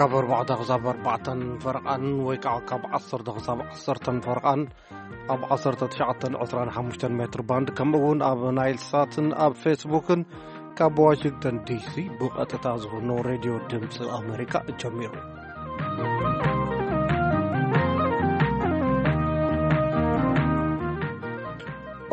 ካብ ኣርባዕተ ክሳብ ኣርባዕተን ፈረቓን ወይ ከዓ ካብ ዓሰርተ ክሳብ ዓሰርተን ፈረቓን ኣብ ዓሰርተ ትሽዓተ ዕስራን ሓሙሽተን ሜትር ባንድ፣ ከምኡ እውን ኣብ ናይል ሳትን ኣብ ፌስቡክን ካብ ዋሽንግተን ዲሲ ብቐጥታ ዝኾኖ ሬድዮ ድምፂ ኣሜሪካ ጀሚሩ።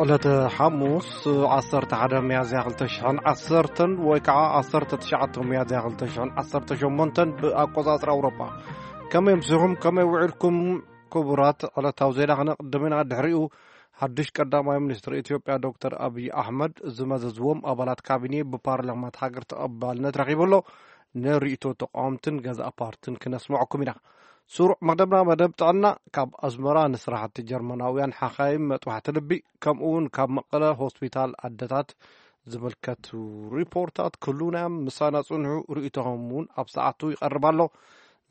ዕለተ ሓሙስ ዓሰርተ ሓደ ሚያዝያ ክልተ ሽሕን ዓሰርተን ወይ ከዓ ዓሰርተ ትሽዓተ ሚያዝያ ክልተ ሽሕን ዓሰርተ ሸሞንተን ብኣቆጻጽራ ኣውሮጳ። ከመይ ኣምሲኹም? ከመይ ውዒልኩም? ክቡራት፣ ዕለታዊ ዜና ክነቕድም ኢና። ድሕሪኡ ሓድሽ ቀዳማይ ሚኒስትር ኢትዮጵያ ዶክተር ኣብይ ኣሕመድ ዝመዘዝዎም ኣባላት ካቢኔ ብፓርላማ እቲ ሃገር ተቐባልነት ረኺቡ ኣሎ። ንርእይቶ ተቃወምትን ገዛእ ፓርትን ክነስምዐኩም ኢና። ስሩዕ መደብና መደብ ጥዕና፣ ካብ ኣስመራ ንስራሕቲ ጀርመናውያን ሓኻይም መጥባሕቲ ልቢ፣ ከምኡ እውን ካብ መቐለ ሆስፒታል ኣደታት ዝምልከቱ ሪፖርታት ክህሉና እዮም። ምሳና ጽንሑ፣ ርእይቶኹም እውን ኣብ ሰዓቱ ይቐርብ ኣሎ።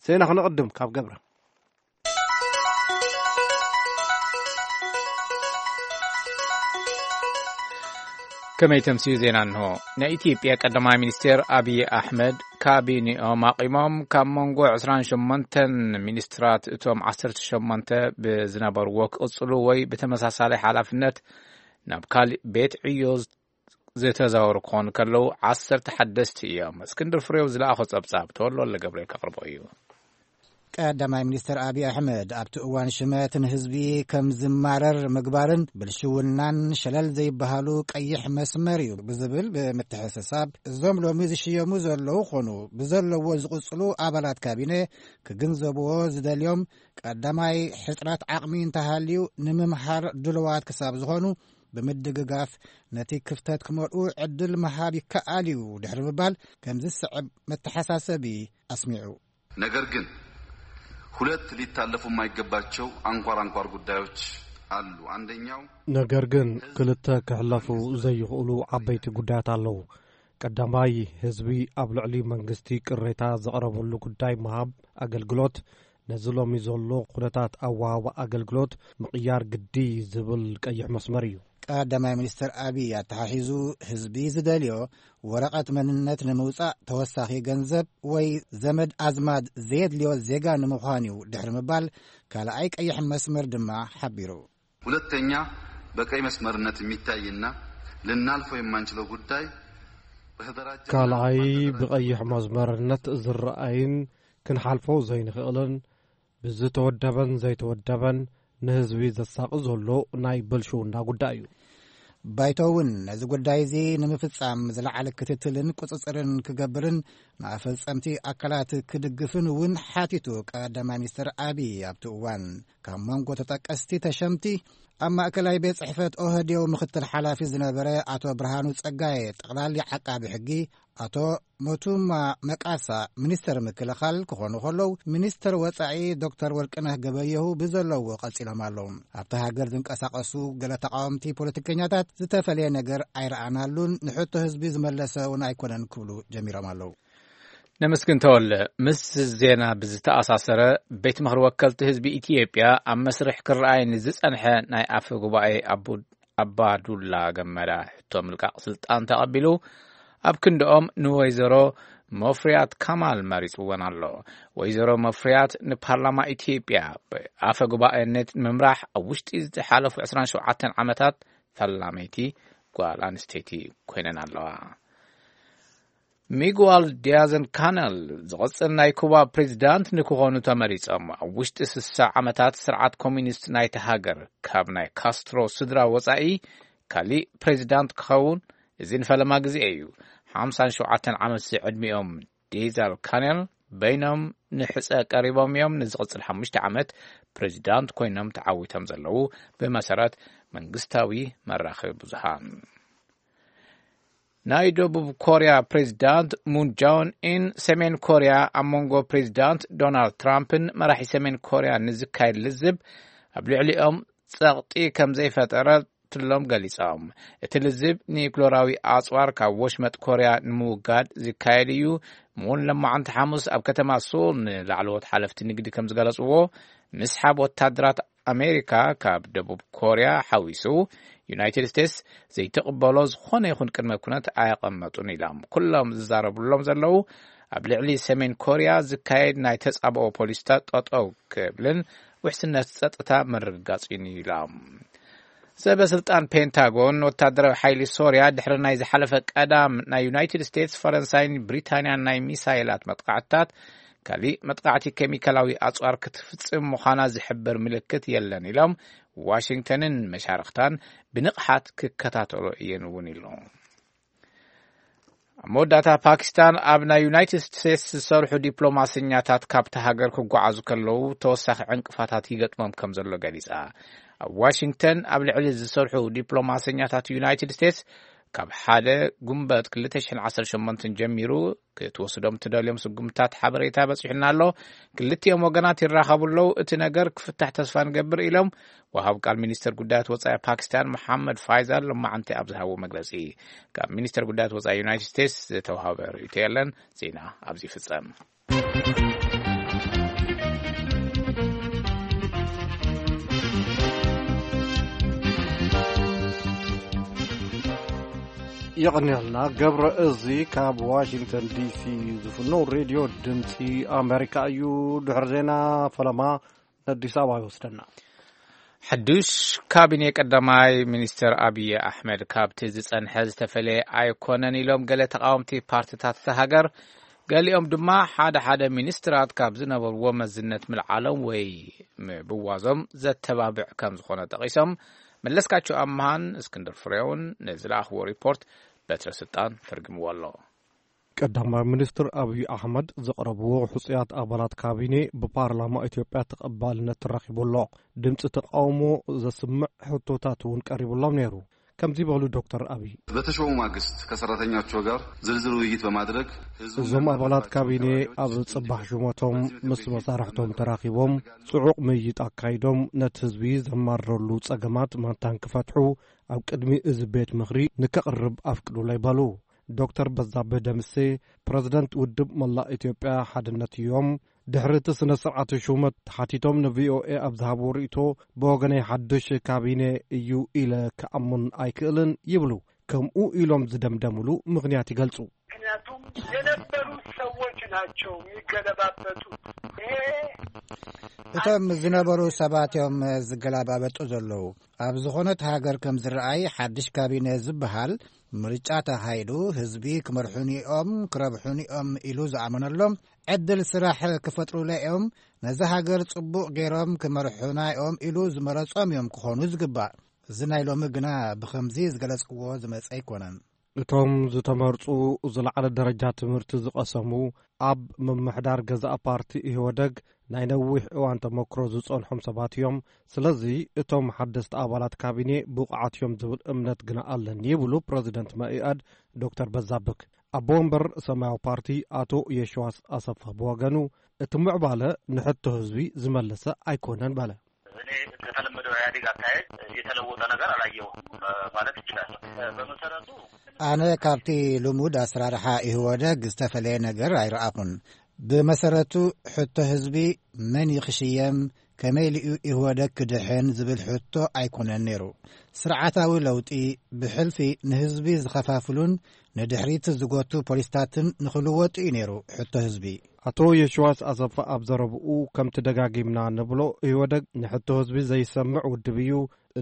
ዜና ክነቕድም ካብ ገብረ። ከመይ ተምስዩ ዜና እንሆ። ናይ ኢትዮጵያ ቀዳማይ ሚኒስቴር ኣብይ ኣሕመድ ካቢኔኦም ኣቒሞም ካብ መንጎ ዕስራን ሸሞንተን ሚኒስትራት እቶም ዓሰርተ ሸሞንተ ብዝነበርዎ ክቕጽሉ ወይ ብተመሳሳሊ ሓላፍነት ናብ ካሊእ ቤት ዕዮ ዝተዛወሩ ክኾኑ ከለዉ ዓሰርተ ሓደስቲ እዮም። እስክንድር ፍሬው ዝለኣኾ ጸብጻብ ተወልደ ወልደገብርኤል ከቕርቦ እዩ። ቀዳማይ ሚኒስትር ኣብይ ኣሕመድ ኣብቲ እዋን ሽመት ንህዝቢ ከም ዝማረር ምግባርን ብልሽውናን ሸለል ዘይበሃሉ ቀይሕ መስመር እዩ ብዝብል ብምትሕስሳብ፣ እዞም ሎሚ ዝሽየሙ ዘለዉ ኾኑ ብዘለዎ ዝቕጽሉ ኣባላት ካቢነ ክግንዘብዎ ዝደልዮም፣ ቀዳማይ ሕጽራት ዓቕሚ እንተሃልዩ ንምምሃር ድልዋት ክሳብ ዝኾኑ ብምድግጋፍ ነቲ ክፍተት ክመልኡ ዕድል ምሃብ ይከኣል እዩ ድሕሪ ምባል ከምዚ ዝስዕብ መተሓሳሰቢ ኣስሚዑ። ነገር ግን ሁለት ሊታለፉ የማይገባቸው አንኳር አንኳር ጉዳዮች አሉ። አንደኛው ነገር ግን ክልተ ክሕለፉ ዘይኽእሉ ዓበይቲ ጉዳያት ኣለዉ። ቀዳማይ፣ ህዝቢ ኣብ ልዕሊ መንግስቲ ቅሬታ ዘቕረበሉ ጉዳይ ምሃብ ኣገልግሎት፣ ነዚ ሎሚ ዘሎ ኩነታት ኣወሃህባ ኣገልግሎት ምቕያር ግዲ ዝብል ቀይሕ መስመር እዩ። ቀዳማይ ሚኒስትር ኣብይ ኣተሓሒዙ ህዝቢ ዝደልዮ ወረቐት መንነት ንምውጻእ ተወሳኺ ገንዘብ ወይ ዘመድ ኣዝማድ ዘየድልዮ ዜጋ ንምዃን እዩ ድሕሪ ምባል ካልኣይ ቀይሕ መስመር ድማ ሓቢሩ። ሁለተኛ በቀይ መስመርነት የሚታይና ልናልፈው የማንችለው ጉዳይ በተደራጀ ካልኣይ ብቐይሕ መስመርነት ዝረኣይን ክንሓልፎ ዘይንኽእልን ብዝተወደበን ዘይተወደበን ንህዝቢ ዘሳቒ ዘሎ ናይ ብልሽውና ጉዳይ እዩ። ባይቶ እውን ነዚ ጉዳይ እዚ ንምፍጻም ዝለዓለ ክትትልን ቁጽጽርን ክገብርን ንኣፈጸምቲ ኣካላት ክድግፍን እውን ሓቲቱ። ቀዳማይ ሚኒስትር ኣብይ ኣብቲ እዋን ካብ መንጎ ተጠቀስቲ ተሸምቲ ኣብ ማእከላይ ቤት ጽሕፈት ኦህዴው ምክትል ሓላፊ ዝነበረ ኣቶ ብርሃኑ ጸጋየ፣ ጠቕላሊ ዓቃቢ ሕጊ ኣቶ ሞቱማ መቃሳ፣ ሚኒስተር ምክልኻል ክኾኑ ከለዉ፣ ሚኒስተር ወጻኢ ዶክተር ወርቅነህ ገበየሁ ብዘለዎ ቀጺሎም ኣለዉ። ኣብታ ሃገር ዝንቀሳቐሱ ገለ ተቓወምቲ ፖለቲከኛታት ዝተፈለየ ነገር ኣይረኣናሉን፣ ንሕቶ ህዝቢ ዝመለሰ እውን ኣይኮነን ክብሉ ጀሚሮም ኣለዉ። ነመስግን ተወለ። ምስ ዜና ብዝተኣሳሰረ፣ ቤት ምኽሪ ወከልቲ ህዝቢ ኢትዮጵያ ኣብ መስርሕ ክረኣይ ንዝጸንሐ ናይ ኣፈ ጉባኤ ኣቡ-፣ ኣባዱላ ገመዳ ሕቶ ምልቃቕ ስልጣን ተቐቢሉ፣ ኣብ ክንድኦም ንወይዘሮ መፍሪያት ካማል መሪጽወን ኣሎ። ወይዘሮ መፍሪያት ንፓርላማ ኢትዮጵያ ብኣፈ ጉባኤነት ንምምራሕ ኣብ ውሽጢ ዝሓለፉ ዕስራን ሸውዓተን ዓመታት ፈላመይቲ ጓል ኣንስተይቲ ኮይነን ኣለዋ። ሚጉዋል ዲያዘን ካነል ዝቕጽል ናይ ኩባ ፕሬዚዳንት ንክኾኑ ተመሪጾም። ኣብ ውሽጢ ስሳ ዓመታት ስርዓት ኮሚኒስት ናይቲ ሃገር ካብ ናይ ካስትሮ ስድራ ወጻኢ ካሊእ ፕሬዚዳንት ክኸውን እዚ ንፈለማ ግዜ እዩ። ሓምሳን ሸውዓተን ዓመት ዕድሚኦም ዲዛል ካነል በይኖም ንሕጸ ቀሪቦም እዮም። ንዝቕጽል ሓሙሽተ ዓመት ፕሬዚዳንት ኮይኖም ተዓዊቶም ዘለዉ ብመሰረት መንግስታዊ መራኸቢ ብዙሃን። ናይ ደቡብ ኮርያ ፕሬዚዳንት ሙን ጃውን ኢን ሰሜን ኮርያ ኣብ መንጎ ፕሬዚዳንት ዶናልድ ትራምፕን መራሒ ሰሜን ኮርያ ንዝካየድ ልዝብ ኣብ ልዕሊኦም ጸቕጢ ከም ዘይፈጠረትሎም ገሊጾም። እቲ ልዝብ ኒክሎራዊ ኣጽዋር ካብ ወሽመጥ ኮርያ ንምውጋድ ዝካየድ እዩ። ሙን ለማዓንቲ ሓሙስ ኣብ ከተማ ሶል ንላዕለዎት ሓለፍቲ ንግዲ ከም ዝገለጽዎ፣ ምስሓብ ወታደራት ኣሜሪካ ካብ ደቡብ ኮርያ ሓዊሱ፣ ዩናይትድ ስቴትስ ዘይትቕበሎ ዝኾነ ይኹን ቅድመ ኩነት ኣየቐመጡን ኢሎም። ኩሎም ዝዛረብሎም ዘለዉ ኣብ ልዕሊ ሰሜን ኮርያ ዝካየድ ናይ ተጻብኦ ፖሊሲታት ጠጠው ክብልን ውሕስነት ጸጥታ ምርግጋጽ እዩ ኢሎም። ሰበ ስልጣን ፔንታጎን፣ ወታደራዊ ሓይሊ ሶርያ ድሕሪ ናይ ዝሓለፈ ቀዳም ናይ ዩናይትድ ስቴትስ፣ ፈረንሳይን ብሪታንያን ናይ ሚሳይላት መጥቃዕትታት፣ ካሊእ መጥቃዕቲ ኬሚካላዊ ኣጽዋር ክትፍጽም ምዃና ዝሕብር ምልክት የለን ኢሎም፣ ዋሽንግተንን መሻርኽታን ብንቕሓት ክከታተሎ እየን እውን ኢሉ። ኣብ መወዳእታ፣ ፓኪስታን ኣብ ናይ ዩናይትድ ስቴትስ ዝሰርሑ ዲፕሎማሰኛታት ካብቲ ሃገር ክጓዓዙ ከለዉ ተወሳኺ ዕንቅፋታት ይገጥሞም ከም ዘሎ ገሊጻ። ኣብ ዋሽንግተን ኣብ ልዕሊ ዝሰርሑ ዲፕሎማሰኛታት ዩናይትድ ስቴትስ ካብ ሓደ ጉንበት ክልተ ሽሕን ዓሰርተ ሸሞንተን ጀሚሩ ክትወስዶም ትደልዮም ስጉምታት ሓበሬታ በጺሑና ኣሎ። ክልቲኦም ወገናት ይራኸቡ ኣለዉ። እቲ ነገር ክፍታሕ ተስፋ ንገብር ኢሎም ወሃብ ቃል ሚኒስተር ጉዳያት ወጻኢ ፓኪስታን መሓመድ ፋይዛል ሎማዓንቲ ኣብ ዝሃቦ መግለጺ። ካብ ሚኒስተር ጉዳያት ወጻኢ ዩናይትድ ስቴትስ ዝተዋሃበ ርእይቶ የለን። ዜና ኣብዚ ይፍጸም። የቐንየልና ገብረ። እዚ ካብ ዋሽንግተን ዲሲ ዝፍኖ ሬድዮ ድምፂ ኣሜሪካ እዩ። ድሕሪ ዜና ፈለማ ነዲስ ኣበባ ይወስደና። ሓዱሽ ካቢኔ ቀዳማይ ሚኒስትር ኣብይ ኣሕመድ ካብቲ ዝጸንሐ ዝተፈለየ ኣይኮነን ኢሎም ገለ ተቓወምቲ ፓርቲታት እታ ሃገር። ገሊኦም ድማ ሓደ ሓደ ሚኒስትራት ካብ ዝነበርዎ መዝነት ምልዓሎም ወይ ምብዋዞም ዘተባብዕ ከም ዝኾነ ጠቒሶም። መለስካቸው ኣምሃን እስክንድር ፍሬውን ንዝለኣኽዎ ሪፖርት በትረ ስልጣን ተርጉምዎ ኣሎ። ቀዳማይ ሚኒስትር ኣብይ ኣሕመድ ዘቕረብዎ ሕጹያት ኣባላት ካቢኔ ብፓርላማ ኢትዮጵያ ተቐባልነት ረኺቡ ኣሎ። ድምፂ ተቃውሞ ዘስምዕ ሕቶታት እውን ቀሪቡሎም ነይሩ። ከምዚ በሉ ዶክተር ኣብይ። በተሾሙ ማግስት ከሰራተኛቸው ጋር ዝርዝር ውይይት በማድረግ ህዝቡ እዞም ኣባላት ካቢኔ ኣብ ጽባሕ ሹመቶም ምስ መሳርሕቶም ተራኺቦም ጽዑቕ ምይይጥ ኣካይዶም ነቲ ህዝቢ ዘማረረሉ ጸገማት ማንታን ክፈትሑ ኣብ ቅድሚ እዚ ቤት ምኽሪ ንከቕርብ ኣፍቅዱለይ በሉ። ዶክተር በዛብህ ደምሴ ፕረዚደንት ውድብ መላእ ኢትዮጵያ ሓድነት እዮም። ድሕሪ እቲ ስነ ስርዓት ሹመት ተሓቲቶም ንቪኦኤ ኣብ ዝሃብዎ ርእይቶ፣ ብወገነይ ሓድሽ ካቢኔ እዩ ኢለ ክኣምን ኣይክእልን ይብሉ። ከምኡ ኢሎም ዝደምደምሉ ምኽንያት ይገልጹ። ምክንያቱም የነበሩ ሰዎች ናቸው የሚገለባበጡ። ይሄ እቶም ዝነበሩ ሰባት እዮም ዝገላባበጡ ዘለዉ። ኣብ ዝኾነት ሃገር ከም ዝረኣይ ሓድሽ ካቢነ ዝበሃል ምርጫ ተኻይዱ ህዝቢ ክመርሑኒ እዮም ክረብሑኒ እዮም ኢሉ ዝኣመነሎም ዕድል ስራሕ ክፈጥሩለ እዮም፣ ነዛ ሃገር ጽቡቕ ገይሮም ክመርሑና እዮም ኢሉ ዝመረጾም እዮም ክኾኑ ዝግባእ። እዚ ናይ ሎሚ ግና ብኸምዚ ዝገለጽክዎ ዝመጸ ኣይኮነን። እቶም ዝተመርጹ ዝለዓለ ደረጃ ትምህርቲ ዝቐሰሙ፣ ኣብ ምምሕዳር ገዛእ ፓርቲ ኢህወደግ ናይ ነዊሕ እዋን ተመክሮ ዝጸንሖም ሰባት እዮም። ስለዚ እቶም ሓደስቲ ኣባላት ካቢኔ ብቑዓት እዮም ዝብል እምነት ግና ኣለኒ ይብሉ ፕረዚደንት መኢኣድ ዶክተር በዛብክ። ኣቦ ወንበር ሰማያዊ ፓርቲ ኣቶ የሽዋስ ኣሰፋ ብወገኑ፣ እቲ ምዕባለ ንሕቶ ህዝቢ ዝመለሰ ኣይኮነን በለ። እኔ ከተለመደው ኢህአዴግ አካሄድ የተለወጠ ነገር አላየሁም ማለት ይችላል። በመሰረቱ አነ ካብቲ ልሙድ ኣሰራርሓ ኢህወደግ ዝተፈለየ ነገር ኣይረኣኹን። ብመሰረቱ ሕቶ ህዝቢ መን ይኽሽየም፣ ከመይ ኢሉ ኢህወደግ ክድሕን ዝብል ሕቶ ኣይኮነን ነይሩ። ስርዓታዊ ለውጢ ብሕልፊ ንህዝቢ ዝኸፋፍሉን ንድሕሪት ዝጎቱ ፖሊስታትን ንኽልወጡ እዩ ነይሩ ሕቶ ህዝቢ። ኣቶ የሽዋስ ኣሰፋ ኣብ ዘረብኡ፣ ከምቲ ደጋጊምና ንብሎ ኢህወደግ ንሕቶ ህዝቢ ዘይሰምዕ ውድብ እዩ።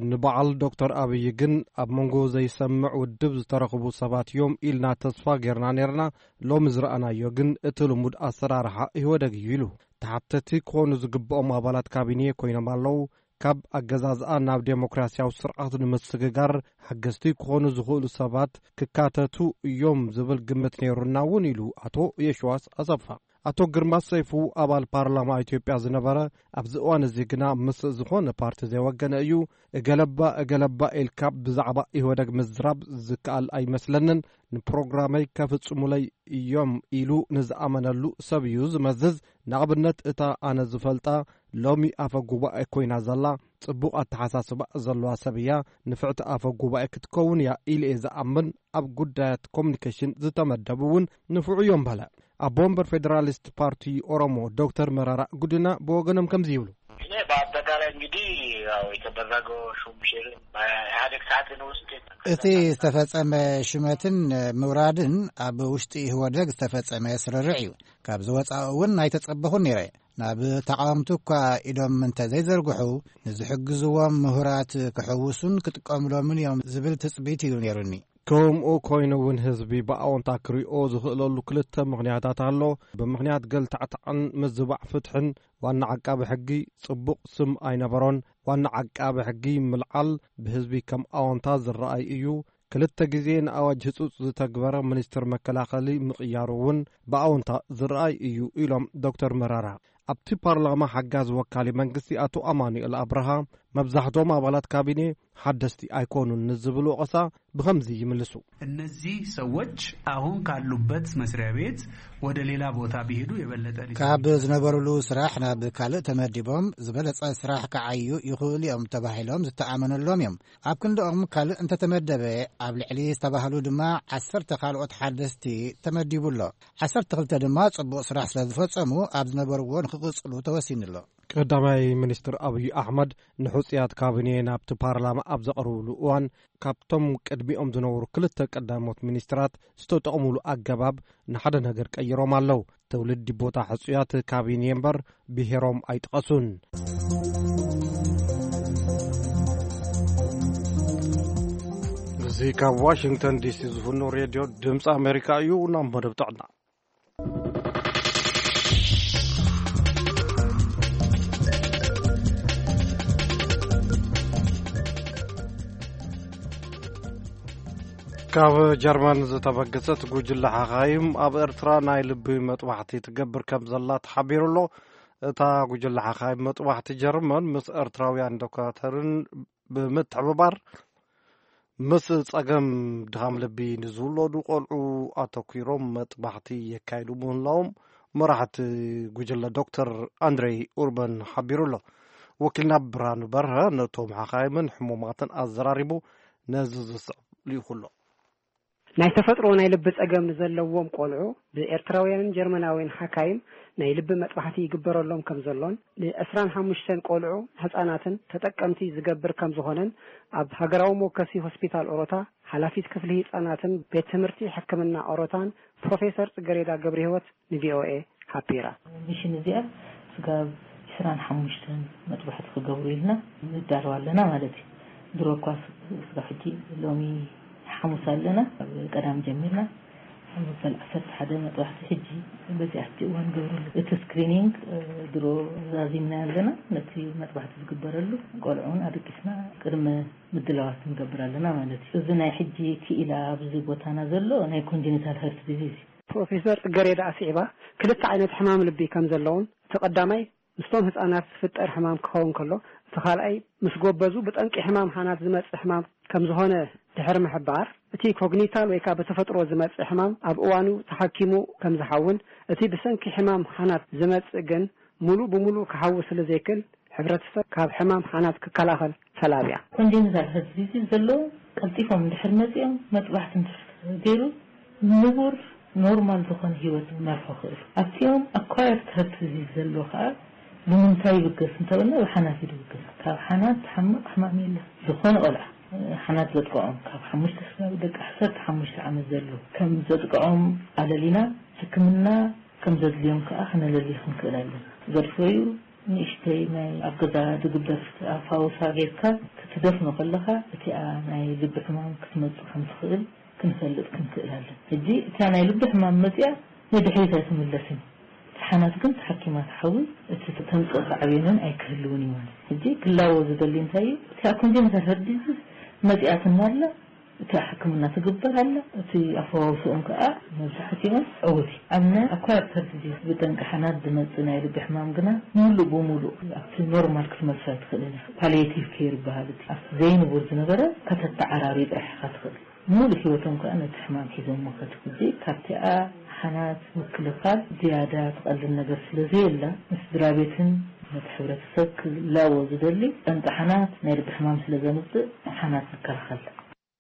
ንበዓል ዶክተር ኣብይ ግን ኣብ መንጎ ዘይሰምዕ ውድብ ዝተረኽቡ ሰባት እዮም ኢልና ተስፋ ጌርና ኔርና። ሎሚ ዝረኣናዮ ግን እቲ ልሙድ ኣሰራርሓ ኢህወደግ እዩ ኢሉ። ተሓተቲ ክኾኑ ዝግብኦም ኣባላት ካቢኔ ኮይኖም ኣለዉ። ካብ ኣገዛዝኣ ናብ ዴሞክራሲያዊ ስርዓት ንምስግጋር ሓገዝቲ ክኾኑ ዝኽእሉ ሰባት ክካተቱ እዮም ዝብል ግምት ነይሩና እውን ኢሉ ኣቶ የሽዋስ ኣሰፋ። ኣቶ ግርማ ሰይፉ ኣባል ፓርላማ ኢትዮጵያ ዝነበረ፣ ኣብዚ እዋን እዚ ግና ምስ ዝኾነ ፓርቲ ዘይወገነ እዩ። እገለባ እገለባ ኢልካ ብዛዕባ ኢህወደግ ምዝራብ ዝከኣል ኣይመስለንን። ንፕሮግራመይ ከፍጽሙለይ እዮም ኢሉ ንዝኣመነሉ ሰብ እዩ ዝመዝዝ። ንኣብነት እታ ኣነ ዝፈልጣ ሎሚ ኣፈ ጉባኤ ኮይና ዘላ ጽቡቕ ኣተሓሳስባ ዘለዋ ሰብ እያ። ንፍዕቲ ኣፈ ጉባኤ ክትከውን እያ ኢለ እየ ዝኣምን። ኣብ ጉዳያት ኮሙኒኬሽን ዝተመደቡ እውን ንፉዕ እዮም በለ። ኣቦ ወንበር ፌዴራሊስት ፓርቲ ኦሮሞ ዶክተር መራራ ጉዲና ብወገኖም ከምዚ ይብሉ። እኔ በአጠቃላይ እንግዲህ ያው የተደረገው ሹምሽር በኢህአዴግ ሰዓትን ውስጥ እቲ ዝተፈጸመ ሽመትን ምውራድን ኣብ ውሽጢ ኢህወደግ ዝተፈጸመ ስርርዕ እዩ። ካብ ዝወጻኡ እውን ኣይተጸበኹን ነይረ። ናብ ተቓወምቲ እኳ ኢዶም እንተ ዘይዘርግሑ፣ ንዝሕግዝዎም ምሁራት ክሕውሱን ክጥቀምሎምን እዮም ዝብል ትጽቢት እዩ ነይሩኒ። ከምኡ ኮይኑ እውን ህዝቢ ብኣወንታ ክሪኦ ዝኽእለሉ ክልተ ምኽንያታት ኣሎ። ብምኽንያት ገልታዕታዕን ምዝባዕ ፍትሕን ዋና ዓቃቢ ሕጊ ጽቡቕ ስም ኣይነበሮን። ዋና ዓቃቢ ሕጊ ምልዓል ብህዝቢ ከም ኣወንታ ዝረኣይ እዩ። ክልተ ግዜ ንኣዋጅ ህጹጽ ዝተግበረ ሚኒስትር መከላኸሊ ምቕያሩ እውን ብኣወንታ ዝረኣይ እዩ ኢሎም ዶክተር መራራ። ኣብቲ ፓርላማ ሓጋዚ ወካሊ መንግስቲ ኣቶ ኣማኑኤል ኣብርሃ፣ መብዛሕትኦም ኣባላት ካቢኔ ሓደስቲ ኣይኮኑን ንዝብል ወቐሳ ብኸምዚ ይምልሱ። እነዚህ ሰዎች አሁን ካሉበት መስሪያ ቤት ወደ ሌላ ቦታ ቢሄዱ የበለጠ ሊሰሩ ካብ ይችላሉ። ዝነበሩሉ ስራሕ ናብ ካልእ ተመዲቦም ዝበለጸ ስራሕ ክዓዩ ይኽእሉ እዮም ተባሂሎም ዝተኣመነሎም እዮም። ኣብ ክንድኦም ካልእ እንተተመደበ፣ ኣብ ልዕሊ ዝተባህሉ ድማ ዓሰርተ ካልኦት ሓደስቲ ተመዲቡ ኣሎ። ዓሰርተ ክልተ ድማ ጽቡቕ ስራሕ ስለ ዝፈጸሙ ኣብ ዝነበርዎ ንኽቕጽሉ ተወሲኑ ኣሎ። ቀዳማይ ሚኒስትር ኣብይ ኣሕመድ ንሕጹያት ካቢኔ ናብቲ ፓርላማ ኣብ ዘቕርብሉ እዋን፣ ካብቶም ቅድሚኦም ዝነበሩ ክልተ ቀዳሞት ሚኒስትራት ዝተጠቕሙሉ ኣገባብ ንሓደ ነገር ቀይሮም ኣለዉ። ትውልዲ ቦታ ሕጹያት ካቢኔ እምበር ብሄሮም ኣይጠቐሱን። እዚ ካብ ዋሽንግተን ዲሲ ዝፍኖ ሬድዮ ድምፂ ኣሜሪካ እዩ። ናብ መደብ ጥዕና። ካብ ጀርመን ዝተበገሰት ጉጅለ ሓኻይም ኣብ ኤርትራ ናይ ልቢ መጥባሕቲ ትገብር ከም ዘላ ተሓቢሩ ኣሎ። እታ ጉጅለ ሓኻይም መጥባሕቲ ጀርመን ምስ ኤርትራውያን ዶክተርን ብምትሕብባር፣ ምስ ጸገም ድኻም ልቢ ንዝውለዱ ቆልዑ ኣተኲሮም መጥባሕቲ የካይዱ ምህላዎም መራሕቲ ጉጅለ ዶክተር ኣንድሬይ ኡርበን ሓቢሩ ኣሎ። ወኪልና ብርሃኑ በርሀ ነቶም ሓኻይምን ሕሙማትን ኣዘራሪቡ፣ ነዚ ዝስዕብ ልኢኹ ኣሎ። ናይ ተፈጥሮ ናይ ልቢ ጸገም ንዘለዎም ቆልዑ ብኤርትራውያንን ጀርመናውያን ሓካይም ናይ ልቢ መጥባሕቲ ይግበረሎም ከም ዘሎን፣ ን ዕስራን ሓሙሽተን ቆልዑ ህጻናትን ተጠቀምቲ ዝገብር ከም ዝኾነን፣ ኣብ ሃገራዊ መወከሲ ሆስፒታል ኦሮታ ሓላፊት ክፍሊ ህጻናትን ቤት ትምህርቲ ሕክምና ኦሮታን ፕሮፌሰር ጽገሬዳ ገብረህይወት ንቪኦኤ ሓቢራ። ሚሽን እዚኣ ስጋብ ዕስራን ሓሙሽተን መጥባሕቲ ክገብሩ ኢልና ንዳለዋ ኣለና ማለት እዩ። ድሮ እኳ ስ-፣ ስጋብ ሕጂ ሎሚ ሓሙስ ኣለና። ኣብ ቀዳም ጀሚርና፣ ኣብ መበል ዓሰርተ ሓደ መጥባሕቲ ሕጂ በዚኣ ሕጂ እዋን ገብርሉ። እቲ ስክሪኒንግ፣ እ፣ ድሮ ዛዚምና ኣለና። ነቲ መጥባሕቲ ዝግበረሉ ቆልዑን ኣደቂስና ቅድመ ምድላዋት ንገብር ኣለና ማለት እዩ። እዚ ናይ ሕጂ ክኢላ ኣብዚ ቦታና ዘሎ ናይ ኮንጀኒታል ሀርት ዲዚዝ እዩ። ፕሮፌሰር ጽገሬዳ ኣስዒባ፣ ክልተ ዓይነት ሕማም ልቢ ከም ዘለውን፣ እቲ ቀዳማይ ምስቶም ህጻናት ዝፍጠር ሕማም ክኸውን ከሎ፣ እቲ ካልኣይ ምስ ጎበዙ ብጠንቂ ሕማም ሓናት ዝመጽእ ሕማም ከም ዝኾነ ድሕሪ ምሕባር፣ እቲ ኮግኒታል ወይ ከኣ ብተፈጥሮ ዝመጽእ ሕማም ኣብ እዋኑ ተሓኪሙ ከም ዝሓውን፣ እቲ ብሰንኪ ሕማም ሓናት ዝመጽእ ግን ሙሉእ ብሙሉእ ክሓዊ ስለ ዘይክእል፣ ሕብረተሰብ ካብ ሕማም ሓናት ክከላኸል ተላብያ። ኮንጀኒታል ሀርት ዲዚዝ ዘለዉ ቀልጢፎም እንድሕር መጺኦም መጥባሕቲ እንድሕር ተገይሩ ንቡር ኖርማል ዝኾነ ህይወት ክመርሑ ክእሉ። ኣብቲኦም ኣኳየርድ ሀርት ዲዚዝ ዘለዎ ከኣ ብምንታይ ይብገስ እንተበልና ብሓናት እዩ ዝብገስ። ካብ ሓናት ዝሓምቕ ሕማም የለን። ዝኾነ ቆልዓ ሓናት ዘጥቅዖም ካብ ሓሙሽተ ስጋብ ደቂ ዓሰርተ ሓሙሽተ ዓመት ዘለዉ ከም ዘጥቅዖም ኣለሊና ሕክምና ከም ዘድልዮም ከኣ ክነለሊ ክንክእል ኣለና። ዘድፈዩ ንእሽተይ ናይ ኣብ ገዛ ዝግበር ፈውሳ ጌርካ ክትደፍኖ ከለኻ እቲኣ ናይ ልቢ ሕማም ክትመጽእ ከም ትኽእል ክንፈልጥ ክንክእል ኣለና። ሕጂ እታ ናይ ልቢ ሕማም መጺኣ ንድሕሪት ኣይትምለስን። እቲ ሓናት ግን ተሓኪማ ትሓዊ፣ እቲ ተምጽኦ ሳዕቤንን ኣይክህልውን እዩ ማለት። ሕጂ ክላቦ ዝደሊ እንታይ እዩ? እቲኣ ኮንጀኒታል ሀርት ዲዚዝ መጺኣትና ኣላ፣ እቲ ሕክምና ትግበር ኣላ። እቲ ኣፈዋውስኦም ከኣ መብዛሕትኦም ዕዉት እዩ። ኣብ ናይ ኣኳየርድ ሀርት ዲዚዝ ብጠንቂ ሓናት ዝመጽእ ናይ ልቢ ሕማም ግና ምሉእ ብምሉእ ኣብቲ ኖርማል ክትመልሶ ኣይትኽእልን ኢኻ። ፓሊየቲቭ ኬር ይበሃል። እቲ ኣብቲ ዘይንቡር ዝነበረ ከተተዓራሪ ጥራሕ ኢኻ ትኽእል። ምሉእ ህይወቶም ከኣ ነቲ ሕማም ሒዞሞ ከትጉጂ። ካብቲኣ ሓናት ምክልኻል ዝያዳ ትቐልል ነገር ስለ ዘየላ፣ ንስድራ ቤትን ነቲ ሕብረተሰብ ክላቦ ዝደሊ ጠንቂ ሓናት ናይ ልቢ ሕማም ስለ ዘምጽእ፣ ሓናት ንከላኸል።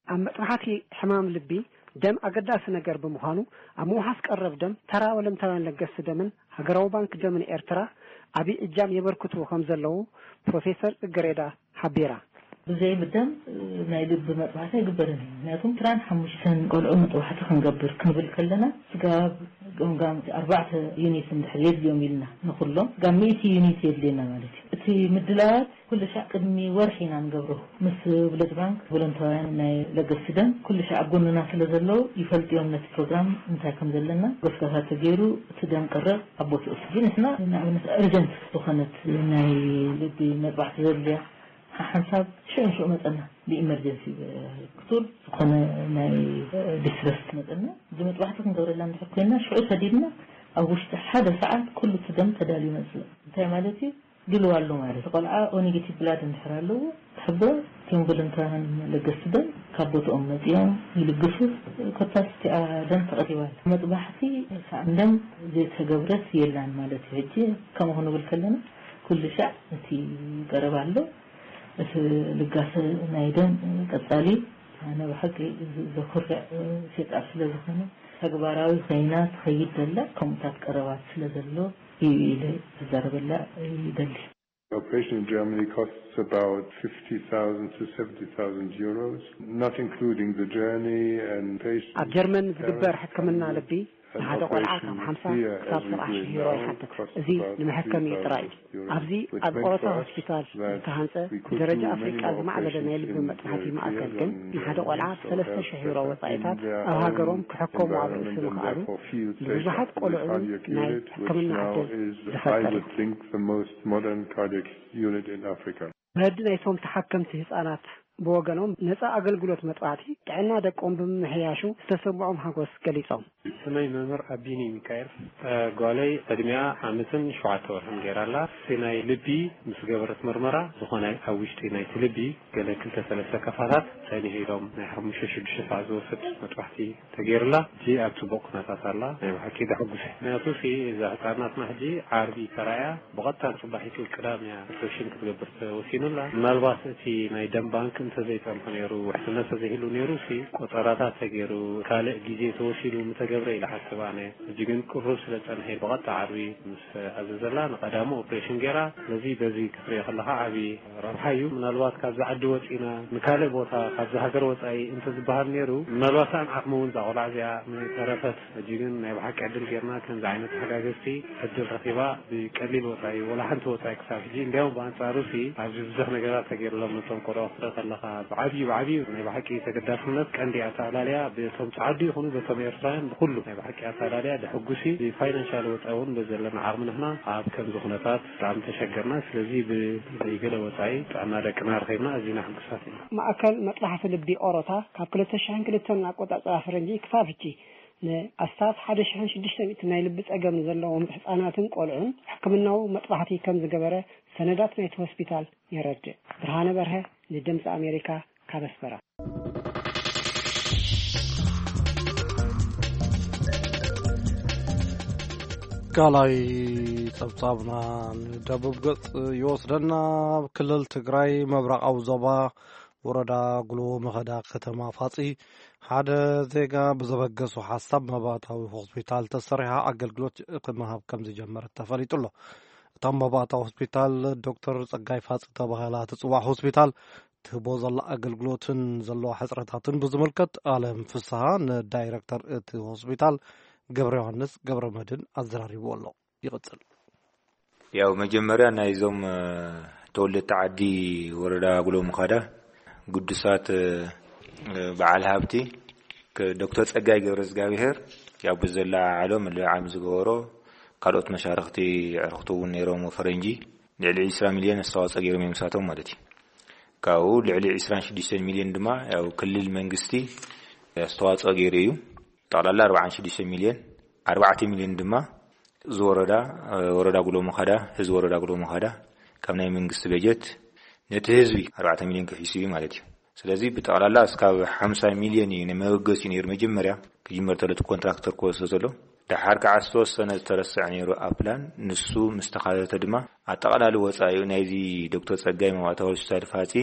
ኣብ መጥባሕቲ ሕማም ልቢ ደም ኣገዳሲ ነገር ብምዃኑ፣ ኣብ ምውሓስ ቀረብ ደም ተራ ወለንታውያን ለገስቲ ደምን ሃገራዊ ባንክ ደምን ኤርትራ ዓብዪ እጃም የበርክቱ ከም ዘለዉ ፕሮፌሰር ጽገሬዳ ሓቢራ። ብዘይ ብደም ናይ ልቢ መጥባሕቲ ኣይግበርን እዩ። ምክንያቱም ትራን ሓሙሽተን ቆልዑ መጥባሕቲ ክንገብር ክንብል ከለና፣ ስጋብ ገምጋም ኣርባዕተ ዩኒት እንድሕር የድልዮም ኢልና ንኹሎም፣ ስጋብ ሚእቲ ዩኒት የድልየና ማለት እዩ። እቲ ምድላዋት ኩሉ ሻዕ ቅድሚ ወርሒ ኢና ንገብሮ። ምስ ብለድ ባንክ ቮለንታውያን ናይ ለገስቲ ደም ኩሉ ሻዕ ኣብ ጎንና ስለ ዘለዉ ይፈልጥዮም ነቲ ፕሮግራም እንታይ ከም ዘለና። ጎስጋሳት ተገይሩ እቲ ደም ቅረብ ኣብ ቦትኡ። ሕጂ ንሕና ንኣብነት እርጀንት ዝኾነት ናይ ልቢ መጥባሕቲ ዘድልያ ሓንሳብ ሽዑ ሽዑ መጸና። ብኢመርጀንሲ ክቱር ዝኾነ ናይ ዲስትረስ መጸና። እዚ መጥባሕቲ ክንገብረላ እንድሕር ኮይና ሽዑ ሰዲድና ኣብ ውሽጢ ሓደ ሰዓት ኩሉ እቲ ደም ተዳልዩ መጽእ። እንታይ ማለት እዩ? ድልዋ ኣሎ ማለት። ቆልዓ ኦ ኔጌቲቭ ብላድ እንድሕር ኣለዎ፣ ትሕብሮ እቶም ቮለንታርያን ለገስቲ ደም ካብ ቦትኦም መጺኦም ይልግሱ። ኮታስ እቲኣ ደም ተቐሪባ ኣላ። መጥባሕቲ ሳዕን ደም ዘይተገብረት የላን ማለት እዩ። ሕጂ ከምኡ ክንብል ከለና ኩሉ ሻዕ እቲ ቀረባ ኣሎ። እቲ ልጋሰ ናይ ደም ቀጻሊ ኣነ ብሓቂ ዘኩርዕ ሴጣር ስለ ዝኾነ ተግባራዊ ኮይና ትኸይድ ዘላ ከምኡታት ቀረባት ስለ ዘሎ እዩ ኢለ ክዛረበላ ይደሊ። Operation in Germany costs about fifty thousand to seventy thousand euros, not including the journey and patient ኣብ ጀርመን ዝግበር ሕክምና ልቢ ንሓደ ቆልዓ ካብ ሓምሳ ክሳብ ሰብዓ ሽሕ ዩሮ ይሓትት። እዚ ንመሐከሚኡ ጥራይ እዩ። ኣብዚ ኣብ ቆሮታ ሆስፒታል ዝተሃንጸ ብደረጃ ኣፍሪቃ ዝማዕበለ ናይ ልቢ መጥባሕቲ ማእከል ግን ንሓደ ቆልዓ ብሰለስተ ሽሕ ዩሮ ወጻኢታት ኣብ ሃገሮም ክሕከሙ ኣብ ርእሲ ምኽኣሉ ንብዙሓት ቆልዑ ናይ ሕክምና ዕድል ዝፈጠረ እዩ። Modern cardiac unit in Africa. መዲ ናይቶም ተሓከምቲ ህጻናት ብወገኖም ነጻ ኣገልግሎት መጥባሕቲ ጥዕና ደቆም ብምምሕያሹ ዝተሰምዖም ሓጎስ ገሊጾም። ስመይ መምህር ኣቢኒ ሚካኤል። ጓለይ ዕድሚኣ ዓመትን ሸውዓተ ወርሕን ገይራ ኣላ። እቲ ናይ ልቢ ምስ ገበረት መርመራ ዝኾነ ኣብ ውሽጢ ናይቲ ልቢ ገለ ክልተ ሰለስተ ከፋታት ጸኒሑ ኢሎም ናይ ሓሙሽተ ሽዱሽተ ሰዓት ዝወስድ መጥባሕቲ ተገይሩላ። ሕጂ ኣብ ጽቡቕ ኩነታት ኣላ። ናይ ብሓቂ ደሕጉስ እዩ። ምክንያቱ ሲ እዛ ህጻናትና ሕጂ ዓርቢ ተራእያ ብቐጥታ ንጽባሒቱ ቅዳም እያ ኦፕሬሽን ክትገብር ተወሲኑላ። ምናልባት እቲ ናይ ደም ባንክ እንተዘይጸንሑ ነይሩ፣ ውሕስነት ተዘይህሉ ነይሩ ሲ ቆጸራታት ተገይሩ ካልእ ግዜ ተወሲዱ ምተገብረ ኢለ ሓስብ ኣነ። ሕጂ ግን ቅሩብ ስለ ጸንሐ ብቐጥታ ዓርቢ ምስ ኣዘዘላ ንቐዳሙ ኦፕሬሽን ገይራ። ስለዚ በዚ ክትሪኦ ከለኻ ዓቢ ረብሓ እዩ። ምናልባት ካብዚ ዓዲ ወጺና ንካልእ ቦታ ካብዚ ሃገር ወጻኢ እንተዝበሃል ነይሩ፣ ምናልባት ሰኣን ዓቕሚ እውን እዛ ቆልዓ እዚኣ ምተረፈት። ሕጂ ግን ናይ ብሓቂ ዕድል ጌርና ከምዚ ዓይነት ተሓጋገዝቲ ዕድል ረኺባ ብቀሊል ወጻኢ፣ ወላ ሓንቲ ወጻኢ ክሳብ ሕጂ። እንዲያውም ብኣንጻሩ ሲ ኣብዚ ብዙሕ ነገራት ተገይሩሎም ነቶም ቆልዑ ክትርኢ ከለኻ ብዓብዩ፣ ብዓብዩ ናይ ብሓቂ ተገዳስነት ቀንዲ ኣተኣላልያ በቶም ጸዓዱ ይኹኑ በቶም ኤርትራውያን ብኩሉ ናይ ብሓቂ ኣተኣላልያ ደሕጉስ እዩ። ብፋይናንሻል ወጻኢ እውን በዘለና ዓቕሚ ንሕና ኣብ ከምዚ ኩነታት ብጣዕሚ ተሸገርና። ስለዚ ብዘይገለ ወጻኢ ጥዕና ደቅና ረኺብና ኣዚና ሕጉሳት ኢና። ማእከል መጥባሕቲ ልቢ ኦሮታ ካብ ክልተ ሽሕን ክልተን ኣቆጻጽራ ፈረንጂ ክሳብ ሕጂ ንኣስታት ሓደ ሽሕን ሽዱሽተ ሚእትን ናይ ልቢ ጸገም ዘለዎም ህጻናትን ቆልዑን ሕክምናዊ መጥባሕቲ ከም ዝገበረ ሰነዳት ናይቲ ሆስፒታል የረድእ። ብርሃነ በርሀ ንድምጺ ኣሜሪካ ካብ ኣስመራ። ካልኣይ ጸብጻብና ንደቡብ ገጽ ይወስደና። ኣብ ክልል ትግራይ ምብራቓዊ ዞባ ወረዳ ጉሎ መኸዳ ከተማ ፋጺ ሓደ ዜጋ ብዘበገሶ ሓሳብ መባእታዊ ሆስፒታል ተሰሪሓ ኣገልግሎት ክመሃብ ከም ዝጀመረት ተፈሊጡ ኣሎ። እታ መባእታዊ ሆስፒታል ዶክተር ጸጋይ ፋጺ ተባሂላ ትጽዋዕ ሆስፒታል ትህቦ ዘላ ኣገልግሎትን ዘለዋ ሕጽረታትን ብዝምልከት ኣለም ፍስሃ ንዳይረክተር እቲ ሆስፒታል ገብረ ዮሃንስ ገብረ መድህን ኣዘራሪብዎ ኣሎ። ይቕጽል። ያው መጀመርያ ናይዞም፣ እ፣ ተወለድቲ ዓዲ ወረዳ ጉሎ ምኻዳ ግዱሳት፣ እ፣ በዓል ሃብቲ ከ-፣ ዶክተር ጸጋይ ገብረ እግዚኣብሔር ያው ብዘለዓዕሎ ምልዕዓል ዝገበሮ ካልኦት መሻርኽቲ ኣዕሩኽቱ እውን ነይሮም ፈረንጂ ልዕሊ ዕስራ ሚልዮን ኣስተዋፅኦ ገይሮም እዮም ንሳቶም ማለት እዩ። ካብኡ ልዕሊ ዕስራን ሽዱሽተን ሚልዮን ድማ ያው ክልል መንግስቲ ኣስተዋፅኦ ገይሩ እዩ። ጠቕላላ ኣርባዓን ሽዱሽተን ሚልዮን፣ ኣርባዕተ ሚልዮን ድማ እዚ ወረዳ፣ ወረዳ ጉሎ ምኻዳ፣ ህዝቢ ወረዳ ጉሎ ምኻዳ ካብ ናይ መንግስቲ በጀት ነቲ ህዝቢ ኣርባዕተ ሚልዮን ከፊሱ እዩ ማለት እዩ። ስለዚ ብጠቕላላ እስካብ ሓምሳ ሚልዮን እዩ ንመበገሲ ነይሩ መጀመርያ ክጅመር ተሎ እቲ ኮንትራክተር ክወስዶ ተሎ። ደሓር ከዓ ዝተወሰነ ዝተረስዐ ነይሩ ኣብ ፕላን፣ ንሱ ምስ ተኻተተ ድማ ኣጠቓላሊ ወፃኢኡ ናይዚ ዶክተር ፀጋይ መባእታዊ ሆስፒታል ፋፂ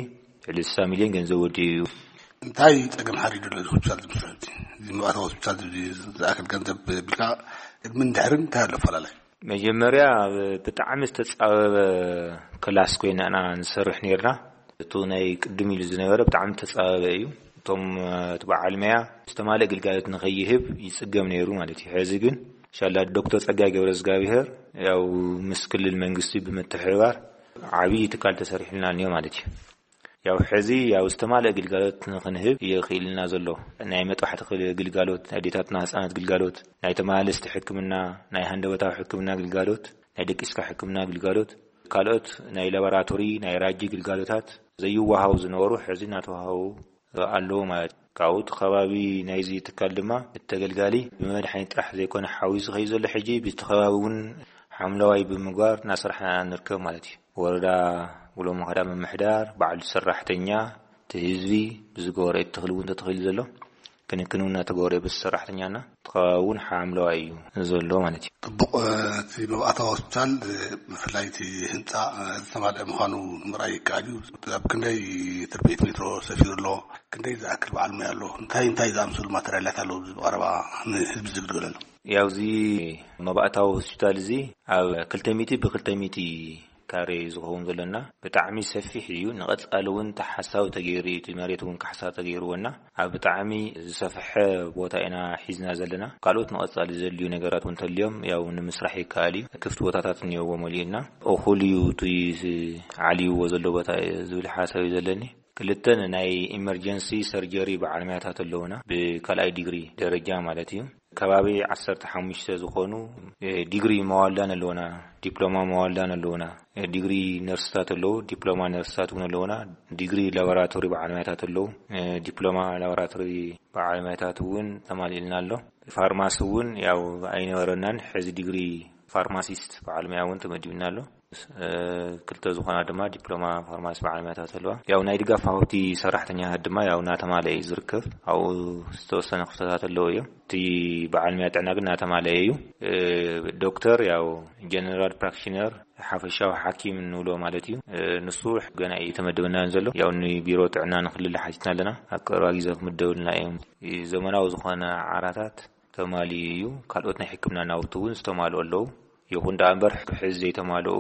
ልዕሊ ስሳ ሚልዮን ገንዘብ ወዲኡ እዩ። እንታይ ፀገም ሓሪዱ ኣሎ እዚ ሆስፒታል ዝምስረት? እዚ መባእታዊ ሆስፒታል እዚ ዝኣክል ገንዘብ ቢልካ ቅድምን ድሕርን እንታይ ኣሎ ኣፈላላይ? መጀመርያ ብጣዕሚ ዝተጻበበ ክላስ ኮይና ኢና ንሰርሕ ነርና። እቱ ናይ ቅድም ኢሉ ዝነበረ ብጣዕሚ ዝተጻበበ እዩ። እቶም እቲ በዓል መያ ዝተማልእ ግልጋሎት ንኸይህብ ይጽገም ነይሩ ማለት እዩ። ሕዚ ግን ሻላ ዶክተር ጸጋይ ገብረ እግዚኣብሔር ያው ምስ ክልል መንግስቲ ብምትሕብባር ዓብዪ ትካል ተሰሪሕልና እኒኦ ማለት እዩ። ያው ሕዚ ያው ዝተማልአ ግልጋሎት ንኽንህብ ይኽኢልና ዘሎ። ናይ መጥባሕቲ ክል- ግልጋሎት፣ ናይ ኣዴታትና ህፃናት ግልጋሎት፣ ናይ ተመላለስቲ ሕክምና፣ ናይ ሃንደበታዊ ሕክምና ግልጋሎት፣ ናይ ደቂስካ ሕክምና ግልጋሎት፣ ካልኦት ናይ ላቦራቶሪ፣ ናይ ራጂ ግልጋሎታት ዘይወሃቡ ዝነበሩ ሕዚ እናተዋሃቡ ኣለዉ ማለት እዩ። ካብኡ እቲ ከባቢ ናይዚ ትካል ድማ እቲ ተገልጋሊ ብመድሓኒት ጥራሕ ዘይኮነ ሓዊሱ ዝኸይድ ዘሎ ሕጂ ብቲ ከባቢ እውን ሓምለዋይ ብምግባር እናሰራሕና ንርከብ ማለት እዩ። ወረዳ ውሎ መኸዳ ምምሕዳር ባዕሉ ሰራሕተኛ እቲ ህዝቢ ብዝገበሮ ተኽሊ እውን ተተኺሉ ዘሎ ክንክን እውን እናተገበረ በቲ ሰራሕተኛና እቲ ከባቢ እውን ሓምለዋይ እዩ ዘሎ ማለት እዩ። ጥቡቕ። እቲ መብኣታዊ ሆስፒታል ብፍላይ እቲ ህንፃ ዝተማልአ ምዃኑ ንምርኣይ ይከኣል እዩ። ኣብ ክንደይ ትርቤት ሜትሮ ሰፊሩ ኣሎ? ክንደይ ዝኣክል በዓል ሞያ ኣሎ? እንታይ እንታይ ዝኣምሰሉ ማተርያላት ኣለዉ? ብቐረባ ንህዝቢ ዝግልገለሉ። ያው እዚ መባእታዊ ሆስፒታል እዚ ኣብ ክልተ ሚእቲ ብ ክልተ ሚእቲ ካሬ ዝኸውን ዘለና ብጣዕሚ ሰፊሕ እዩ። ንቐጻሊ እውን ተሓሳቢ ተገይሩ እዩ። እቲ መሬት እውን ካሕሳ ተገይርዎና ኣብ ብጣዕሚ ዝሰፍሐ ቦታ ኢና ሒዝና ዘለና። ካልኦት ንቐጻሊ ዘድልዩ ነገራት እውን ተልዮም ያው ንምስራሕ ይከኣል እዩ። ክፍቲ ቦታታት እኒኦዎ መሊኡና እኹል እዩ። እቲ ዓልይዎ ዘሎ ቦታ ዝብል ሓሳብ እዩ ዘለኒ። ክልተን ናይ ኢመርጀንሲ ሰርጀሪ በዓል ሞያታት ኣለውና። ብካልኣይ ዲግሪ ደረጃ ማለት እዩ። ከባቢ ዓሰርተ ሓሙሽተ ዝኾኑ ዲግሪ መዋልዳን ኣለውና፣ ዲፕሎማ መዋልዳን ኣለውና። ዲግሪ ነርስታት ኣለዉ፣ ዲፕሎማ ነርስታት እውን ኣለውና። ዲግሪ ላቦራቶሪ በዓል ሞያታት ኣለዉ። ዲፕሎማ ላቦራቶሪ በዓል ሞያታት እውን ተማሊእልና ኣሎ። ፋርማሲ እውን ያው ኣይነበረናን፣ ሕዚ ዲግሪ ፋርማሲስት በዓል ሞያ እውን ተመዲብና ኣሎ። ክልተ ዝኾና ድማ ዲፕሎማ ፋርማሲ በዓል ሞያታት ኣለዋ። ያው ናይ ድጋፍ ሃውቲ ሰራሕተኛታት ድማ ያው እናተማለአ እዩ ዝርከብ። ኣብኡ ዝተወሰነ ክፍተታት ኣለዎ እዮም። እቲ በዓል ሞያ ጥዕና ግን እናተማለአ እዩ። ዶክተር ያው ጀነራል ፕራክቲሽነር ሓፈሻዊ ሓኪም እንብሎ ማለት እዩ። ንሱ ገና እዩ ተመደበናን ዘሎ። ያው ንቢሮ ጥዕና ንክልል ሓቲትና ኣለና። ኣብ ቀረባ ግዜ ክምደብልና እዮም። ዘመናዊ ዝኾነ ዓራታት ተማሊኡ እዩ። ካልኦት ናይ ሕክምና ናውቲ እውን ዝተማልኡ ኣለዉ። ይኹን ደኣ እምበር ሕዚ ዘይተማልኡ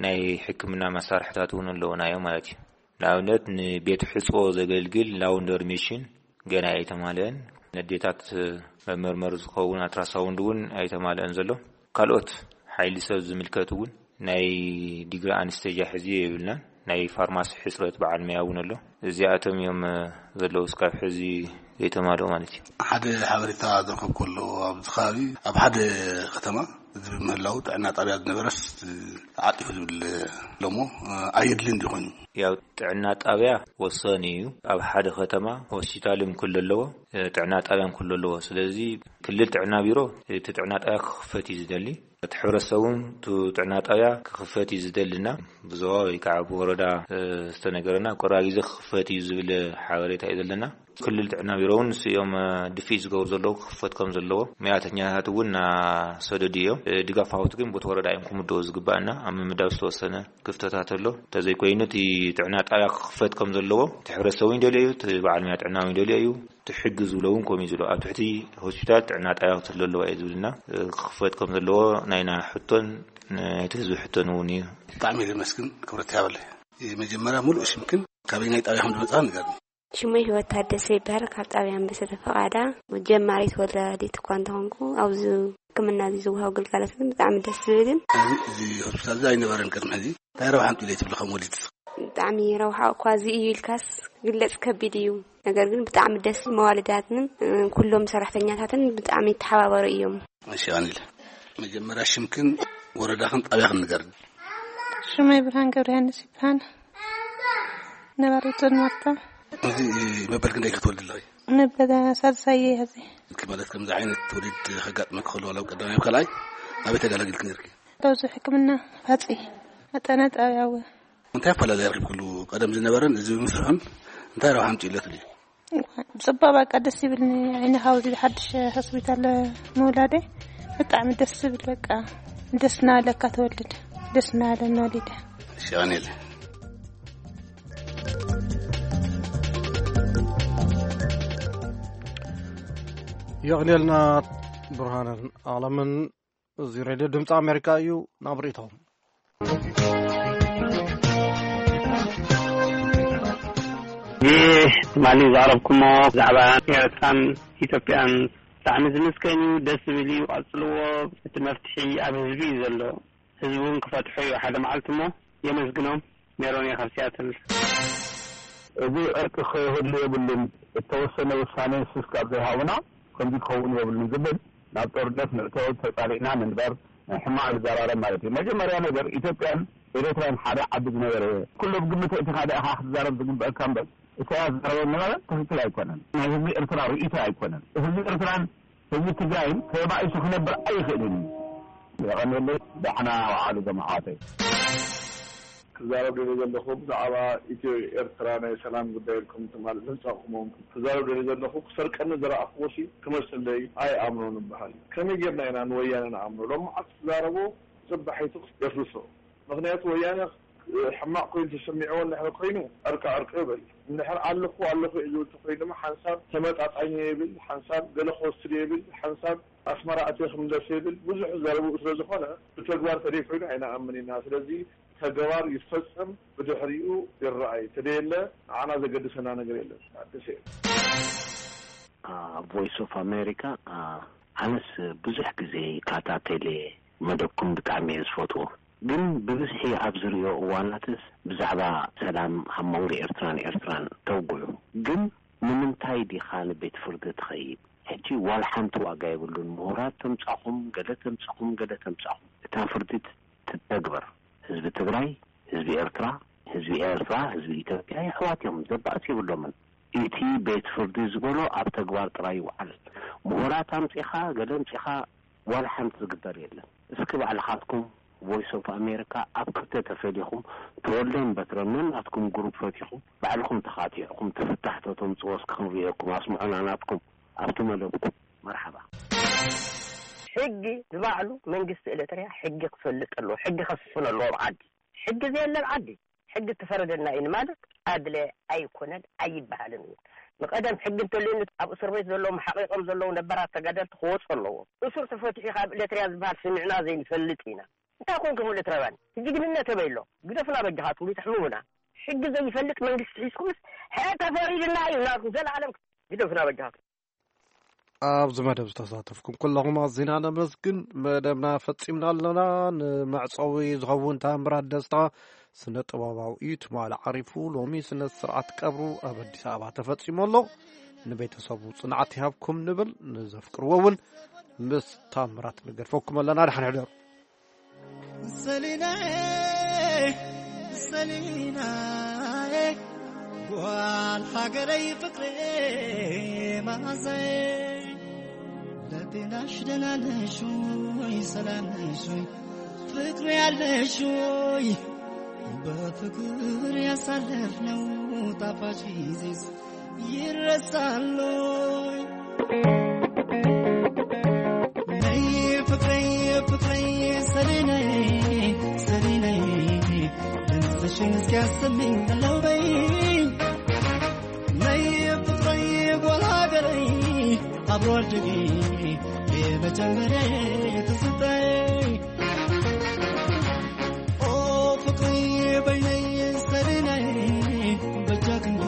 ናይ ሕክምና መሳርሕታት እውን ኣለዉና እዮም ማለት እዩ። ንኣብነት ንቤት ሕፅቦ ዘገልግል ላውንደሪ ሜሽን ገና ኣይተማልአን። ነዴታት መመርመሪ ዝኸውን ኣትራሳውንድ እውን ኣይተማልአን ዘሎ። ካልኦት ሓይሊ ሰብ ዝምልከት እውን ናይ ዲግሪ ኣንስተጃ ሕዚ የብልናን። ናይ ፋርማሲ ሕፅረት በዓል መያ እውን ኣሎ። እዚኣቶም እዮም ዘለዉ እስካብ ሕዚ ዘይተማልኡ ማለት እዩ። ሓደ ሓበሬታ ዝረኸብኩ ኣሎ ኣብዚ ከባቢ ኣብ ሓደ ከተማ እዚ ብምህላው ጥዕና ጣብያ ዝነበረስ ተዓጢፉ ዝብል ኣሎ እሞ ኣየድልን ድዩ ኮይኑ? ያው ጥዕና ጣብያ ወሳኒ እዩ። ኣብ ሓደ ከተማ ሆስፒታል እውን ክህሉ ኣለዎ፣ ጥዕና ጣብያ እውን ክህሉ ኣለዎ። ስለዚ ክልል ጥዕና ቢሮ እቲ ጥዕና ጣብያ ክኽፈት እዩ ዝደሊ። እቲ ሕብረተሰብ እውን እቲ ጥዕና ጣብያ ክኽፈት እዩ ዝደልና። ብዞባ ወይ ከዓ ብወረዳ ዝተነገረና ኣብ ቀረባ ግዜ ክኽፈት እዩ ዝብል ሓበሬታ እዩ ዘለና። ክልል ጥዕና ቢሮ እውን ንሱ እዮም ድፍኢት ዝገብሩ ዘለዉ ክኽፈት ከም ዘለዎ። መያተኛታት እውን እናሰደዱ እዮም። ድጋፍ ሃውቲ ግን ቦቲ ወረዳ እዮም ክምደቡ ዝግባእና። ኣብ ምምዳብ ዝተወሰነ ክፍተታት ኣሎ። እንተዘይኮይኑ እቲ ጥዕና ጣብያ ክኽፈት ከም ዘለዎ እቲ ሕብረተሰብ እውን ይደልዮ እዩ፣ እቲ በዓል መያ ጥዕና እውን ይደልዮ እዩ። ትሕግዝ ዝብሎ እውን ከምኡ እዩ ዝብሎ። ኣብ ትሕቲ ሆስፒታል ጥዕና ጣብያ ክትህሉ ኣለዋ እዩ ዝብልና። ክኽፈት ከም ዘለዎ ናይና ሕቶን ናይቲ ህዝቢ ሕቶን እውን እዩ። ብጣዕሚ እየ ዘመስግን። ክብረት ይሃበለይ። መጀመርያ ሙሉእ ሽምክን ካበይ ናይ ጣብያ ከም ዝመፅኻ ንገርኒ። ሽመይ ህይወት ታደሰ ይበሃል። ካብ ጣብያ ኣንበሰተ ፈቓዳ ጀማሪት ወላዲት እኳ እንተኾንኩ ኣብዚ ሕክምና እዚ ዝወሃብ ግልጋሎት ግን ብጣዕሚ ደስ ዝብልን። እዚ ሆስፒታል እዚ ኣይነበረን ቅድሚ ሕዚ። እንታይ ረብሓ ኣምፅኡ ኢለ ትብሊ ከም ወሊድ? ብጣዕሚ ረብሓ እኳ እዚ እዩ ኢልካስ ግለፅ ከቢድ እዩ። ነገር ግን ብጣዕሚ ደስ መዋልዳትን ኩሎም ሰራሕተኛታትን ብጣዕሚ ይተሓባበሩ እዮም። እሺ ኣኒል፣ መጀመርያ ሽምክን ወረዳኽን ጣብያኽን ንገርኒ። ሽመይ ብርሃን ገብረ ዮሃንስ ይበሃል። ነባሪት ዞን ማርታ። እዚ መበል ክንደይ ክትወልዲ ኣለኺ? መበል ሳልሳይ እየ ሕዚ። እስኪ ማለት ከምዚ ዓይነት ትውልድ ከጋጥመኪ ከሎ ዋላ ኣብ ቀዳማይ ኣብ ካልኣይ ኣበይ ተገላጊልኪ ነርኪ? ኣብዚ ሕክምና ፋፂ ኣጠና ጣብያ እወ። እንታይ ኣፈላለየ ረኺብክሉ? ቀደም ዝነበረን እዚ ብምስርሑን እንታይ ረብሓ ኣምፂኡ ኣሎ ትብሊ? ብፅቡቅ በቃ ደስ ይብልኒ። ዓይኒ ካብ እዚ ሓድሽ ሆስፒታል ምውላደይ ብጣዕሚ ደስ ዝብል በቃ ደስ እናበለካ ትወልድ ደስ እናበለኒ ወሊደ። እሺ ኣኔለ የቕኔልና ብርሃንን ኣለምን እዚ ሬድዮ ድምፂ ኣሜሪካ እዩ። ናብ ርእይቶኹም። ይህ ትማሊ ዘቕረብኩሞ ብዛዕባ ኤርትራን ኢትዮጵያን ብጣዕሚ ዝምስገን እዩ። ደስ ዝብል እዩ። ቀጽልዎ። እቲ መፍትሒ ኣብ ህዝቢ እዩ ዘሎ። ህዝቢ እውን ክፈትሖ እዩ ሓደ መዓልቲ እሞ የመስግኖም። ሜሮን እየ ካብ ሲያትል። እዚ ዕርቂ ክህሉ የብሉን። እተወሰነ ውሳኔ ስስ ካብ ዘይሃቡና ከምዚ ክኸውን የብሉን ዝብል ናብ ጦርነት ንእቶ ተጻሊእና ንንበር ሕማቕ ዝዘራረብ ማለት እዩ። መጀመርያ ነገር ኢትዮጵያን ኤርትራን ሓደ ዓዲ ዝነበረ ኩሉ ብግምት እቲ ሓደ ኢኻ ክትዛረብ ዝግበእካ እምበር ኢሳያስ ዝዛረቦ ዝነበረ ትክክል ኣይኮነን። ናይ ህዝቢ ኤርትራ ርእይቶ ኣይኮነን። ህዝቢ ኤርትራን ህዝቢ ትግራይን ተባኢሱ ክነብር ኣይኽእልን እዩ። የቐንየለይ። ዳሕና ወዓሉ ዞም ኣሕዋተይ። ክዛረብ ደልየ ዘለኹ ብዛዕባ ኢትዮ ኤርትራ ናይ ሰላም ጉዳይ ኢልኩም ትማል ምምጻእኩሞም ክዛረብ ደልየ ዘለኹ ክሰርቀኒ ዝረኣኽዎ ሲ ክመሰለይ ኣይኣምኖን እበሃል እዩ። ከመይ ጌርና ኢና ንወያነ ንኣምኖ? ሎም መዓልቲ ትዛረቦ ጽባሒቱ የፍርሶ። ምኽንያቱ ወያነ ሕማቕ ኮይኑ ተሰሚዕዎ እንድሕር ኮይኑ ዕርቂ ዕርቂ ይበል። እንድሕር ኣለኹ ኣለኹ እዩ ዝብል ተኮይኑ ድማ ሓንሳብ ተመጣጣኝ ይብል፣ ሓንሳብ ገለ ክወስድ ይብል፣ ሓንሳብ ኣስመራ ኣትየ ክምለስ ይብል። ብዙሕ ዘረብኡ ስለ ዝኾነ ብተግባር ተደይ ኮይኑ ኣይንኣምን ኢና። ስለዚ ተግባር ይፈጸም ብድሕሪኡ ይረኣይ። ተደየለ ንዓና ዘገድሰና ነገር የለን። ኣዲስ እየ። ቮይስ ኦፍ ኣሜሪካ ኣነስ ብዙሕ ግዜ ይካታተል እየ። መደብኩም ብጣዕሚ እየ ዝፈትዎ። ግን ብብዝሒ ኣብ ዝርእዮ እዋናትስ ብዛዕባ ሰላም ኣብ መንጎ ኤርትራን ኤርትራን ተውግዑ። ግን ንምንታይ ዲኻ ንቤት ፍርዲ ትኸይድ? ሕጂ ዋላ ሓንቲ ዋጋ የብሉን። ምሁራት ተምጻኹም፣ ገለ ተምጻኹም፣ ገለ ተምጻኹም። እታ ፍርዲ ትተግበር። ህዝቢ ትግራይ፣ ህዝቢ ኤርትራ፣ ህዝቢ ኤርትራ፣ ህዝቢ ኢትዮጵያ የሕዋት እዮም። ዘባእስ የብሎምን። እቲ ቤት ፍርዲ ዝበሎ ኣብ ተግባር ጥራይ ይውዓል። ምሁራት ኣምጺኻ፣ ገለ ኣምጺኻ ዋላ ሓንቲ ዝግበር የለን። እስኪ ባዕልኻትኩም ቮይስ ኦፍ ኣሜሪካ ኣብ ክልተ ተፈሊኹም ተወልደን በትረን ነናትኩም ግሩፕ ፈቲኹም ባዕልኹም ተኻቲዕኩም እቲ ፍታሕ ተተምጽዎ እስኪ ክንርእየኩም ኣስምዑና ናትኩም ኣብቲ መደብኩም። መርሓባ። ሕጊ ንባዕሉ መንግስቲ ኤርትርያ ሕጊ ክፈልጥ ኣለዎ። ሕጊ ከስፍን ኣለዎ ኣብ ዓዲ። ሕጊ ዘየለ ኣብ ዓዲ ሕጊ ትፈረደና እዩ ማለት ኣድለ ኣይኮነን ኣይበሃልን እውን። ንቐደም ሕጊ እንተልዩኒ ኣብ እስር ቤት ዘለዉ መሓቂቆም ዘለዉ ነበራት ተጋደልቲ ክወፁ ኣለዎ። እሱር ተፈትሑ ካብ ኤርትርያ ዝበሃል ስሚዕና ዘይንፈልጥ ኢና። እንታይ ኮንኩም ኤርትራውያን? ጅግንነት ኣበይ ኣሎ? ግደፉና በጃኻትኩም ይትሕምሙና። ሕጊ ዘይፈልጥ መንግስቲ ሒዝኩምስ ሕረ ተፈሪድና እዩ ናትኩም ዘላለም ግደፉና በጃኻትኩም። ኣብዚ መደብ ዝተሳተፍኩም ኩለኹም ኣዚና ነመስግን። መደብና ፈጺምና ኣለና። ንመዕጸዊ ዝኸውን ታምራት ደስታ ስነ ጥበባዊ እዩ። ትማሊ ዓሪፉ ሎሚ ስነ ስርዓት ቀብሩ ኣብ ኣዲስ ኣበባ ተፈጺሙ ኣሎ። ንቤተሰቡ ጽንዓት ይሃብኩም ንብል። ንዘፍቅርዎ እውን ምስ ታምራት ንገድፈኩም ኣለና። ደሓን ሕደሩ። ሰሊናዬ ሰሊናዬ ጓል ሃገረይ ፍቅሬ መዓዛዬ ለጤናሽ ደህና ነሽ ወይ ሰላም ነሽ ወይ ፍቅሬ ያለሽ ወይ በፍቅር ያሳለፍነው ጣፋጭ ጊዜስ ይረሳል ወይ? ነይ ፍቅረይ ፍቅረይ ሰሊነይ ሰሊነይ ድምፅሽን እስኪያሰሚኝ በለው በይ ነይ ፍቅረይ ጓል ሀገረይ አብሮ አደጌ የመጀመሪያ ትዝታዬ ኦ ፍቅሪ በይነይ ሰሊነይ በጃ ክንዶ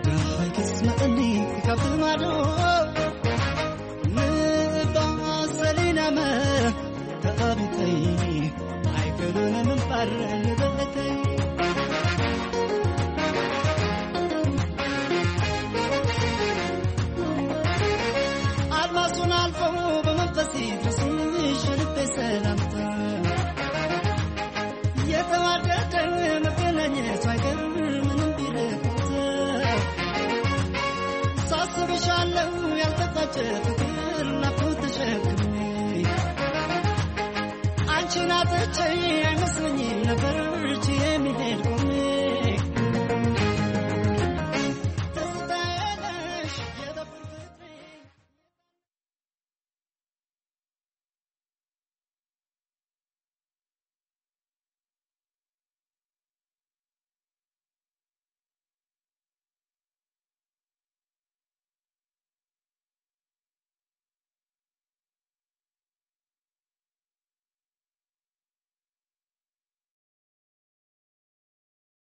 ደሃይ ክስመጠኒ ካብቲ ማዶ ንባ ሰሊናመ ተቐቢተይ ኣይክእሉን ምንባር ንብዕተይ ኣድማሱን ኣልፎ ብመንፈስ ይድረስሽ ልቤ ሰላምታ የተዋደደ መገናኘት አይቀር ምንም ቢለቁት ሳስብሻለው ያልተቋጨ ፍቅር ናፍቆት ተሸክሜ አንቺን አጥቼ